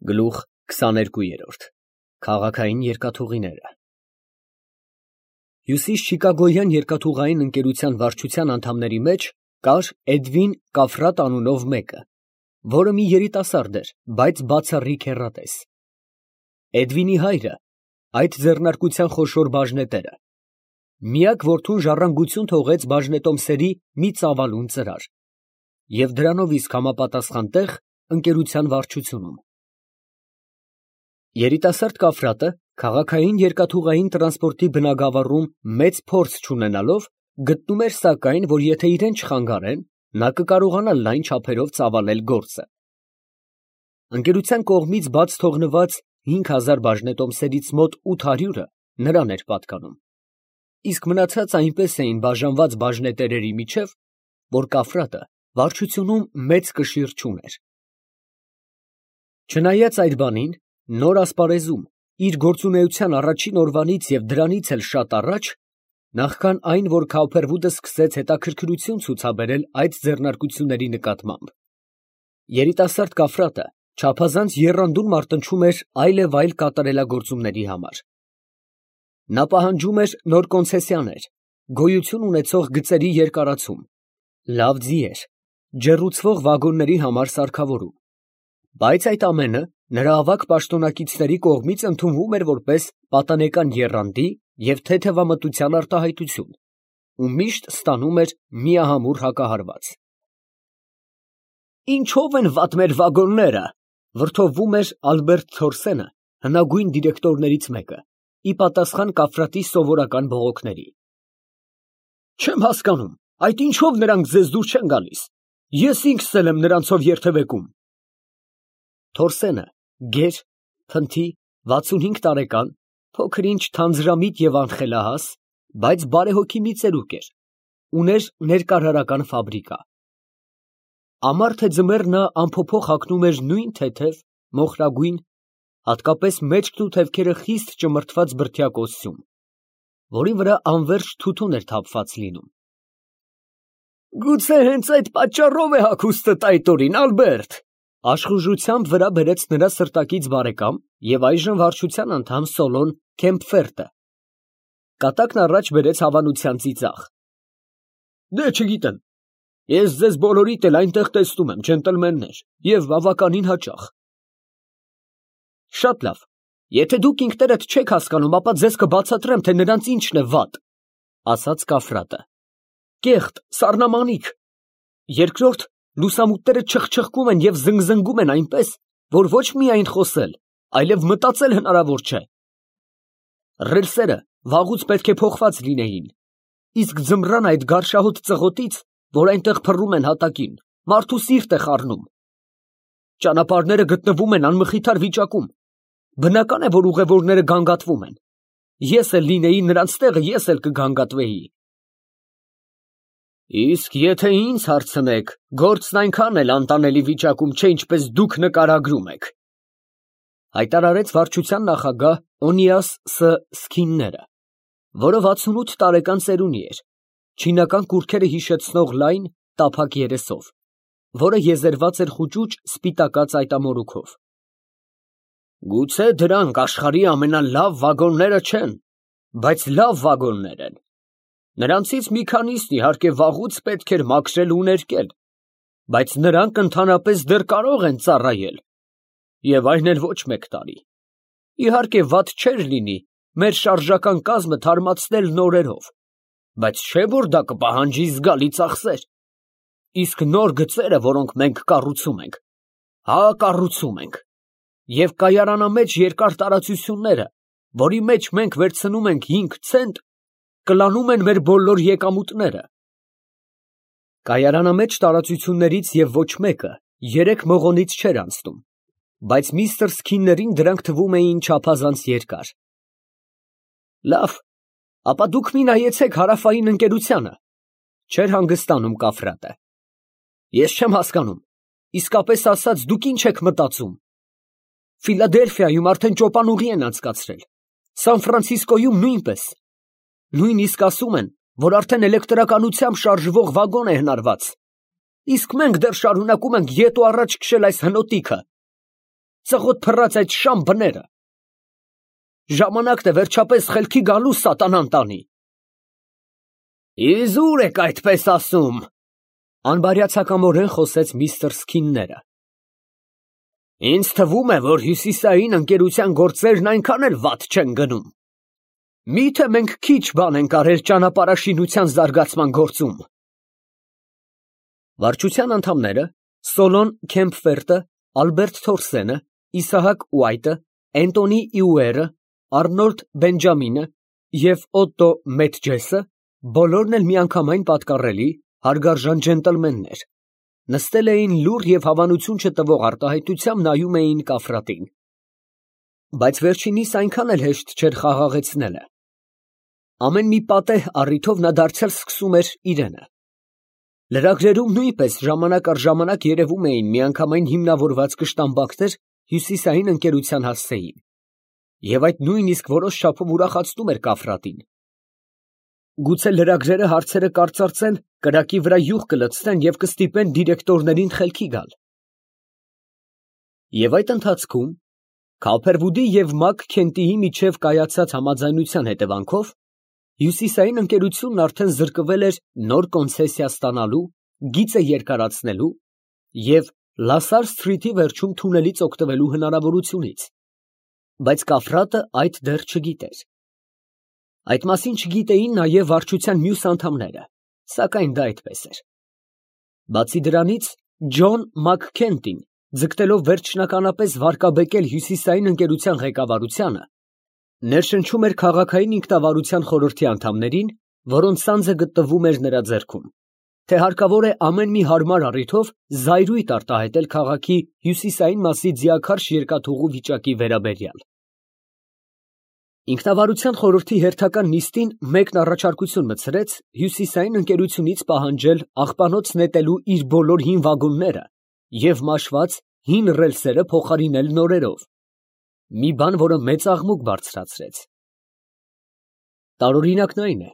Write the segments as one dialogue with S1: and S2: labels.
S1: Գլուխ 22 Քաղաքային երկաթուղիները Հյուսիսչիկագոյան երկաթուղային ընկերության վարչության անդամների մեջ կար Էդվին Կաֆրատ անունով մեկը, որը մի երիտասարդ էր, բայց բացառիկ հեռատես։ Էդվինի հայրը այդ ձեռնարկության խոշոր բաժնետերը, միակ որդուն ժառանգություն թողեց բաժնետոմսերի մի ծավալուն ծրար և դրանով իսկ համապատասխան տեղ ընկերության վարչությունում։ Երիտասարդ Կաֆրատը քաղաքային երկաթուղային տրանսպորտի բնագավառում մեծ փորձ չունենալով, գտնում էր սակայն, որ եթե իրեն չխանգարեն, նա կկարողանա լայն չափերով ծավալել գործը։ Ընկերության կողմից բաց թողնված 5000 բաժնետոմսերից մոտ 800-ը նրան էր պատկանում, իսկ մնացած այնպես էին բաժանված բաժնետերերի միջև, որ Կաֆրատը վարչությունում մեծ կշիռ չուներ։ Չնայած այդ բանին, նոր ասպարեզում, իր գործունեության առաջին օրվանից և դրանից էլ շատ առաջ, նախքան այն, որ Քավփերվուդը սկսեց հետաքրքրություն ցուցաբերել այդ ձեռնարկությունների նկատմամբ, երիտասարդ Կաֆրատը չափազանց եռանդուն մարտնչում էր այլևայլ կատարելագործումների համար։ Նա պահանջում էր նոր կոնցեսիաներ, գոյություն ունեցող գծերի երկարացում, լավ ձիեր, ջեռուցվող վագոնների համար սարքավորում, բայց այդ ամենը նրա ավագ պաշտոնակիցների կողմից ընդունվում էր որպես պատանեկան եռանդի և թեթևամտության արտահայտություն ու միշտ ստանում էր միահամուռ հակահարված։ «Ինչո՞վ են վատ մեր վագոնները», վրդովվում էր Ալբերտ Թորսենը, հնագույն դիրեկտորներից մեկը, ի պատասխան Կաֆրատի սովորական բողոքների։ «Չեմ հասկանում, այդ ինչո՞վ նրանք ձեզ դուր չեն գալիս, ես ինքս էլ եմ նրանցով երթևեկում»։ Թորսենը գեր, փնթի, 65 տարեկան, փոքր-ինչ թանձրամիտ և անխելահաս, բայց բարեհոգի մի ծերուկ էր, ուներ ներկարարական ֆաբրիկա։ Ամառ թե ձմեռ նա անփոփոխ հագնում էր նույն թեթև, մոխրագույն, հատկապես մեջքն ու թևքերը խիստ ճմրթված բրդյա կոստյում, որի վրա անվերջ թութուն էր թափված լինում։ «Գուցե հենց այդ պատճառով է հագուստդ այդ օրին, Ալբերտ», աշխուժությամբ վրա բերեց նրա սրտակից բարեկամ և այժմ վարչության անդամ Սոլոն Քեմփֆերտը։ Կատակն առաջ բերեց հավանության ծիծաղ։ «Դե չգիտեմ, ես ձեզ բոլորիդ էլ այնտեղ տեսնում եմ, ջենտլմեններ, և բավականին հաճախ»։ «Շատ լավ, եթե դուք ինքներդ չեք հասկանում, ապա ձեզ կբացատրեմ, թե նրանց ինչն է վատ», ասաց Կաֆրատը։ «Կեղտ, սառնամանիք։ Երկրորդ, լուսամուտները չխչխկում են և զնգզնգում են այնպես, որ ոչ միայն խոսել, այլև մտածել հնարավոր չէ։ Ռելսերը վաղուց պետք է փոխված լինեին, իսկ ձմռան այդ գարշահոտ ծղոտից, որ այնտեղ փռում են հատակին, մարդու սիրտ է խառնում։ Ճանապարհները գտնվում են անմխիթար վիճակում, բնական է, որ ուղևորները գանգատվում են։ Ես էլ լինեի նրանց տեղը, ես էլ կգանգատվեի։ Իսկ եթե ինձ հարցնեք, գործն այնքան էլ անտանելի վիճակում չէ, ինչպես դուք նկարագրում եք, հայտարարեց վարչության նախագահ Օնիաս Ս. Սքինները, որը 68 տարեկան ծերունի էր, չինական կուռքերը հիշեցնող լայն, տափակ երեսով, որը եզերված էր խուճուճ սպիտակած այտամորուքով։ Գուցե դրանք աշխարհի ամենալավ վագոնները չեն, բայց լավ վագոններ են։ Նրանցից մի քանիսն իհարկե վաղուց պետք էր մաքրել ու ներկել, բայց նրանք ընդհանրապես դեռ կարող են ծառայել, և այն էլ ոչ մեկ տարի։ Իհարկե վատ չէր լինի մեր շարժական կազմը թարմացնել նորերով, բայց չէ՞ որ դա կպահանջի զգալի ծախսեր։ Իսկ նոր գծերը, որոնք մենք կառուցում ենք, կառուցում ենք, և կայարանամեջ երկար տարածությունները, որի մեջ մենք վերցնում ենք 5 ցենտ, կլանում են մեր բոլոր եկամուտները։ Կայարանամեջ տարածություններից և ոչ մեկը 3 մղոնից չէր անցնում, բայց միստր Սքիններին դրանք թվում էին չափազանց երկար։ Լավ, ապա դուք մի նայեցեք հարավային ընկերությանը, չէր հանգստանում Կաֆրատը։ Ես չեմ հասկանում, իսկապես ասած, դուք ինչ եք մտածում։ Ֆիլադելֆիայում արդեն ճոպանուղի են անցկացրել, Սան Ֆրանցիսկոյում նույնպես, նույնիսկ ասում են, որ արդեն էլեկտրականությամբ շարժվող վագոն է հնարված, իսկ մենք դեռ շարունակում ենք ետ ու առաջ քշել այս հնոտիքը։ ծղոտ փռած այդ շամ բները։ Ժամանակն է վերջապես խելքի գալու սատանան տանի։ Իզ ուր եք այդպես ասում, անբարյացակամորեն խոսեց միստր Սքինները։ Ինձ թվում է, որ հյուսիսային ընկերության գործերն այնքան էլ վատ չեն գնում։ Միթե մենք քիչ բան ենք արել ճանապարհաշինության զարգացման գործում։ Վարչության անդամները Սոլոն Քեմփֆերտը, Ալբերտ Թորսենը, Իսահակ Ուայտը, Էնտոնի Իուերը, Արնոլդ Բենջամինը և Օտտո Մեթջեսը բոլորն էլ միանգամայն պատկառելի, հարգարժան ջենտլմեններ, նստել էին լուռ և հավանություն չտվող արտահայտությամբ նայում էին Կաֆրատին։ Բայց վերջինիս այնքան էլ հեշտ չէր խաղաղեցնելը։ Ամեն մի պատեհ առիթով նա դարձյալ սկսում էր իրենը։ Լրագրերում նույնպես ժամանակ առ ժամանակ երևում էին միանգամայն հիմնավորված կշտամբակներ հյուսիսային ընկերության հասցեին, և այդ նույնիսկ որոշ չափով ուրախացնում էր Կաֆրատին։ Գուցե լրագրերը հարցերը կարծրացեն, կրակի վրա յուղ կլցնեն և կստիպեն դիրեկտորներին խելքի գալ։ Եվ այդ ընթացքում Քոփերվուդի և Մակ Քենտիի միջև կայացած համաձայնության հետևանքով հյուսիսային ընկերությունն արդեն զրկվել էր նոր կոնցեսիա ստանալու, գիծը երկարացնելու և Լասար Սթրիթի վերջում թունելից օգտվելու հնարավորությունից, բայց Կաֆրատը այդ դեռ չգիտեր։ Այդ մասին չգիտեին նաև վարչության մյուս անդամները, սակայն դա այդպես էր։ Բացի դրանից, Ջոն Մաքքենտին, ձգտելով վերջնականապես վարկաբեկել հյուսիսային ընկերության ղեկավարությանը, ներշնչում էր քաղաքային ինքնավարության խորհրդի անդամներին, որոնց սանձը գտնվում էր նրա ձեռքում, թե հարկավոր է ամեն մի հարմար առիթով զայրույթ արտահայտել քաղաքի հյուսիսային մասի ձիաքարշ երկաթուղու վիճակի վերաբերյալ։ Ինքնավարության խորհրդի հերթական նիստին մեկն առաջարկություն մտցրեց հյուսիսային ընկերությունից պահանջել աղբանոց նետելու իր բոլոր հին վագոնները և մաշված հին ռելսերը փոխարինել նորերով, մի բան, որը մեծ աղմուկ բարձրացրեց։ Տարօրինակն այն է,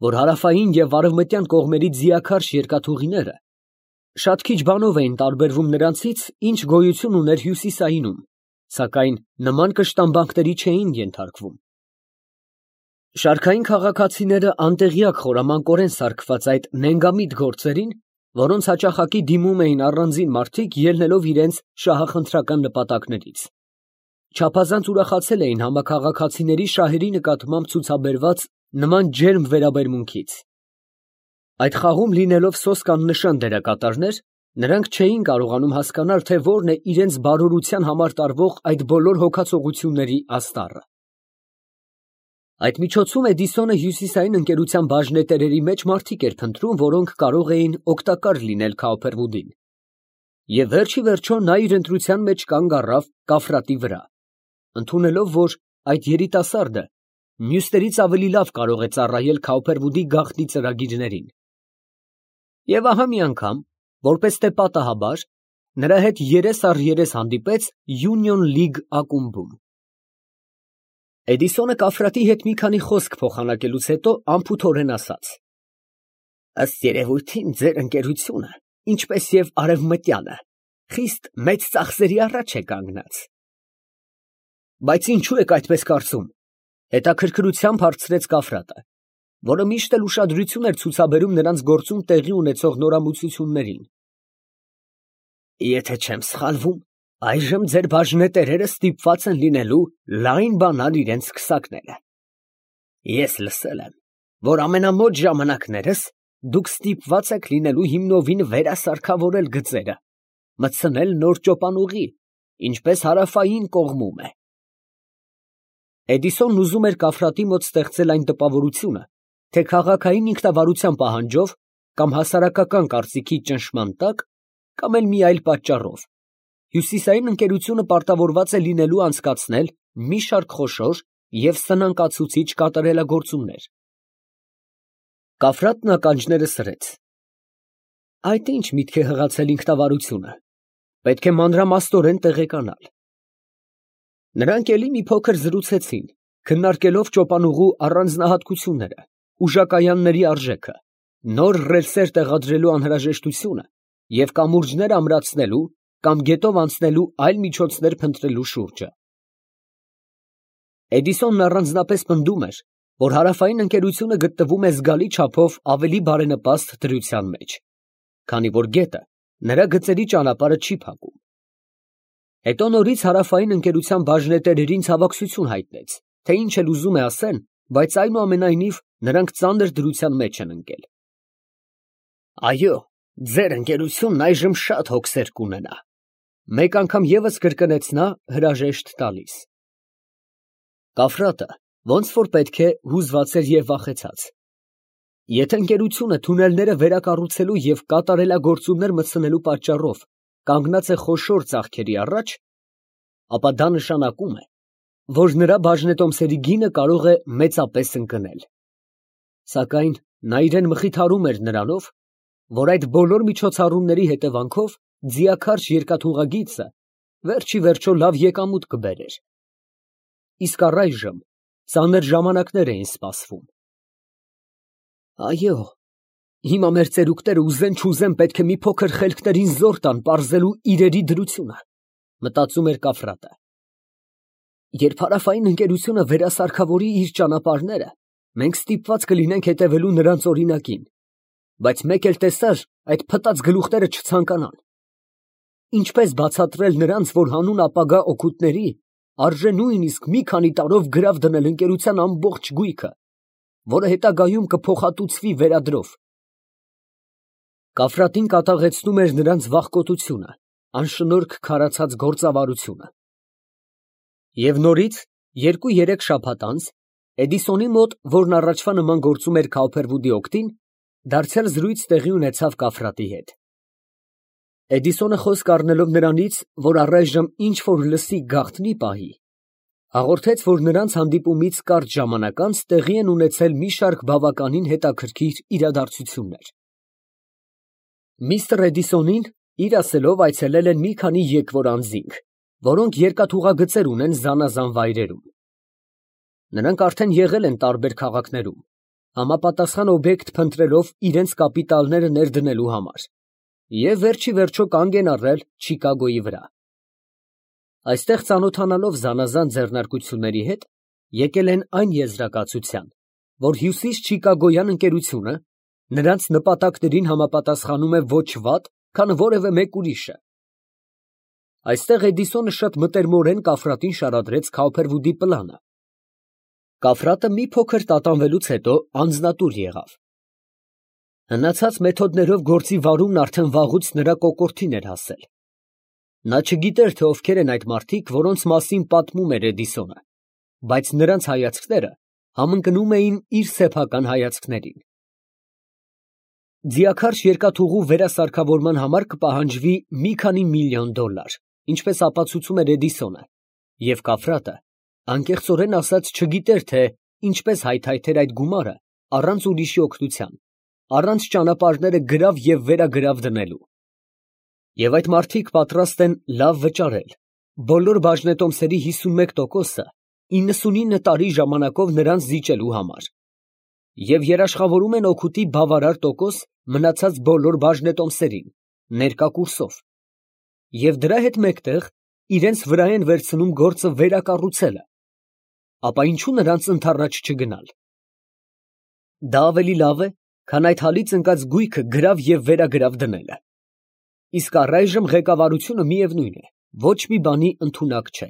S1: որ հարավային և արևմտյան կողմերի ձիաքարշ երկաթուղիները շատ քիչ բանով էին տարբերվում նրանցից, ինչ գոյություն ուներ հյուսիսայինում, սակայն նման կշտամբանքների չէին ենթարկվում։ Շարքային քաղաքացիները անտեղյակ խորամանկորեն սարքված այդ նենգամիտ գործերին, որոնց հաճախակի դիմում էին առանձին մարդիկ, ելնելով իրենց շահախնդրական նպատակներից, չափազանց ուրախացել էին համաքաղաքացիների շահերի նկատմամբ ցուցաբերված նման ջերմ վերաբերմունքից։ Այդ խաղում լինելով սոսկ աննշան դերակատարներ, նրանք չէին կարողանում հասկանալ, թե որն է իրենց բարօրության համար տարվող այդ բոլոր հոգացողությունների աստառը։ Այդ միջոցում Էդիսոնը հյուսիսային ընկերության բաժնետերերի մեջ մարդիկ էր փնտրում, որոնք կարող էին օգտակար լինել Քոփերվուդին։ Եվ վերջ ի վերջո նա իր ընտրության մեջ կանգ առավ Կաֆրատի վրա, ընդունելով, որ այդ երիտասարդը մյուսներից ավելի լավ կարող է ծառայել Քոփերվուդի գաղտնի ծրագիրներին։ Եվ ահա մի անգամ, որպես թե պատահաբար, նրա հետ երես առ երես հանդիպեց Union League ակումբում։ Էդիսոնը Կաֆրատի հետ մի քանի խոսք փոխանակելուց հետո անփութորեն ասաց. ըստ երևույթին ձեր ընկերությունը, ինչպես և արևմտյանը, խիստ մեծ ծախսերի առաջ է կանգնած։ Բայց ինչու եք այդպես կարծում, հետաքրքրությամբ հարցրեց Կաֆրատը, որը միշտ էլ ուշադրություն էր ցուցաբերում նրանց գործում տեղի ունեցող նորամուծություններին։ Եթե չեմ սխալվում, այժմ ձեր բաժնետերերը ստիպված են լինելու լայն բանալ իրենց քսակները։ Ես լսել եմ, որ ամենամոտ ժամանակներս դուք ստիպված եք լինելու հիմնովին վերասարքավորել գծերը, մտցնել նոր ճոպանուղի, ինչպես հարավային կողմում է։ Էդիսոնն ուզում էր Կաֆրատի մոտ ստեղծել այն տպավորությունը, թե քաղաքային ինքնավարության պահանջով կամ հասարակական կարծիքի ճնշման տակ, կամ էլ մի այլ պատճառով, հյուսիսային ընկերությունը պարտավորված է լինելու անցկացնել մի շարք խոշոր և սնանկացուցիչ կատարելագործումներ։ Կաֆրատն ականջները սրեց։ Այդ ինչ միտք է հղացել ինքնավարությունը, պետք է մանրամասնորեն տեղեկանալ։ Նրանք էլի մի փոքր զրուցեցին, քննարկելով ճոպանուղու առանձնահատկությունները, ուժակայանների արժեքը, նոր ռելսեր տեղադրելու անհրաժեշտությունը և կամուրջներ ամրացնելու կամ գետով անցնելու այլ միջոցներ փնտրելու շուրջը։ Էդիսոնն առանձնապես պնդում էր, որ հարավային ընկերությունը գտնվում է զգալի չափով ավելի բարենպաստ դրության մեջ, քանի որ գետը նրա գծերի ճանապարհը չի փակում։ Հետո նորից հարավային ընկերության բաժնետերերին ցավակցություն հայտնեց, թե ինչ էլ ուզում է ասեն, բայց այնուամենայնիվ նրանք ծանր դրության մեջ են ընկել։ Այո, ձեր ընկերությունն այժմ շատ հոգսեր կունենա, մեկ անգամ ևս կրկնեց նա հրաժեշտ տալիս։ Կաֆրատը ոնց որ պետք է հուզված էր և վախեցած։ Եթե ընկերությունը թունելները վերակառուցելու և կատարելագործումներ մտցնելու պատճառով կանգնած է խոշոր ծախքերի առաջ, ապա դա նշանակում է, որ նրա բաժնետոմսերի գինը կարող է մեծապես ընկնել։ Սակայն նա իրան մխիթարում էր նրանով, որ այդ բոլոր միջոցառումների հետևանքով ձիաքարշ երկաթուղագիծը վերջի վերջո լավ եկամուտ կբերեր։ Իսկ առայժմ ծանր ժամանակներ էին սպասվում։ Այո, հիմա մեր ծերուկները ուզեն-չուզեն պետք է մի փոքր խելքներին զոր տան պարզելու իրերի դրությունը, մտածում էր Կաֆրատը։ Երբ հարավային ընկերությունը վերասարքավորի իր ճանապարհները, մենք ստիպված կլինենք հետևելու նրանց օրինակին, բայց մեկ էլ տեսար այդ փտած գլուխները չցանկանան։ Ինչպես բացատրել նրանց, որ հանուն ապագա օգուտների արժե նույնիսկ մի քանի տարով գրավ դնել ընկերության ամբողջ գույքը, որը հետագայում կփոխհատուցվի վերադրով։ Կաֆրատին կատաղեցնում էր նրանց վախկոտությունը, անշնորհք քարացած գործավարությունը։ Եվ նորից 2-3 շաբաթ անց Էդիսոնի մոտ, որն առաջվա նման գործում էր Քաուփերվուդի օգտին, դարձյալ զրույց տեղի ունեցավ Կաֆրատի հետ։ Էդիսոնը խոսք առնելով նրանից, որ առայժմ ինչ որ լսի գաղտնի պահի, հաղորդեց, որ նրանց հանդիպումից կարճ ժամանակ անց տեղի են ունեցել մի շարք բավականին հետաքրքիր իրադարձություններ։ Միստր Էդիսոնին իր ասելով այցելել են մի քանի եկվոր անձինք, որոնք երկաթուղագծեր ունեն զանազան վայրերում։ Նրանք արդեն եղել են տարբեր քաղաքներում, համապատասխան օբյեկտ փնտրելով իրենց կապիտալները ներդնելու համար, և վերջի վերջո կանգ են առել Չիկագոյի վրա։ Այստեղ ծանոթանալով զանազան ձեռնարկությունների հետ, եկել են այն եզրակացության, որ հյուսիս Չիկագոյան ընկերությունը նրանց նպատակներին համապատասխանում է ոչ վատ, քան որևէ մեկ ուրիշը։ Այստեղ Էդիսոնը շատ մտերմորեն Կաֆրատին շարադրեց Քաուփերվուդի պլանը։ Կաֆրատը մի փոքր տատանվելուց հետո անձնատուր եղավ։ Հնացած մեթոդներով գործի վարումն արդեն վաղուց նրա կոկորդին էր հասել։ Նա չգիտեր, թե ովքեր են այդ մարդիկ, որոնց մասին պատմում էր Էդիսոնը, բայց նրանց հայացքները համընկնում էին իր սեփական հայացքներին։ Ձիաքարշ երկաթուղու վերասարքավորման համար կպահանջվի մի քանի միլիոն $, ինչպես ապացուցում էր Էդիսոնը, և Կաֆրատը անկեղծորեն ասած չգիտեր, թե ինչպես հայթայթեր այդ գումարը առանց ուրիշի օգնության, առանց ճանապարհները գրավ և վերագրավ դնելու։ Եվ այդ մարդիկ պատրաստ են լավ վճարել, բոլոր բաժնետոմսերի 51%-ը 99 տարի ժամանակով նրանց զիջելու համար, և երաշխավորում են օգուտի բավարար տոկոս մնացած բոլոր բաժնետոմսերին, ներկա կուրսով, և դրա հետ մեկտեղ իրենց վրա են վերցնում գործը վերակառուցելը, ապա ինչու նրանց ընդառաջ չգնալ։ Դա ավելի լավ է, քան այդ հալից ընկած գույքը գրավ և վերագրավ դնելը։ Իսկ առայժմ ղեկավարությունը, միևնույն է, ոչ մի բանի ընդունակ չէ։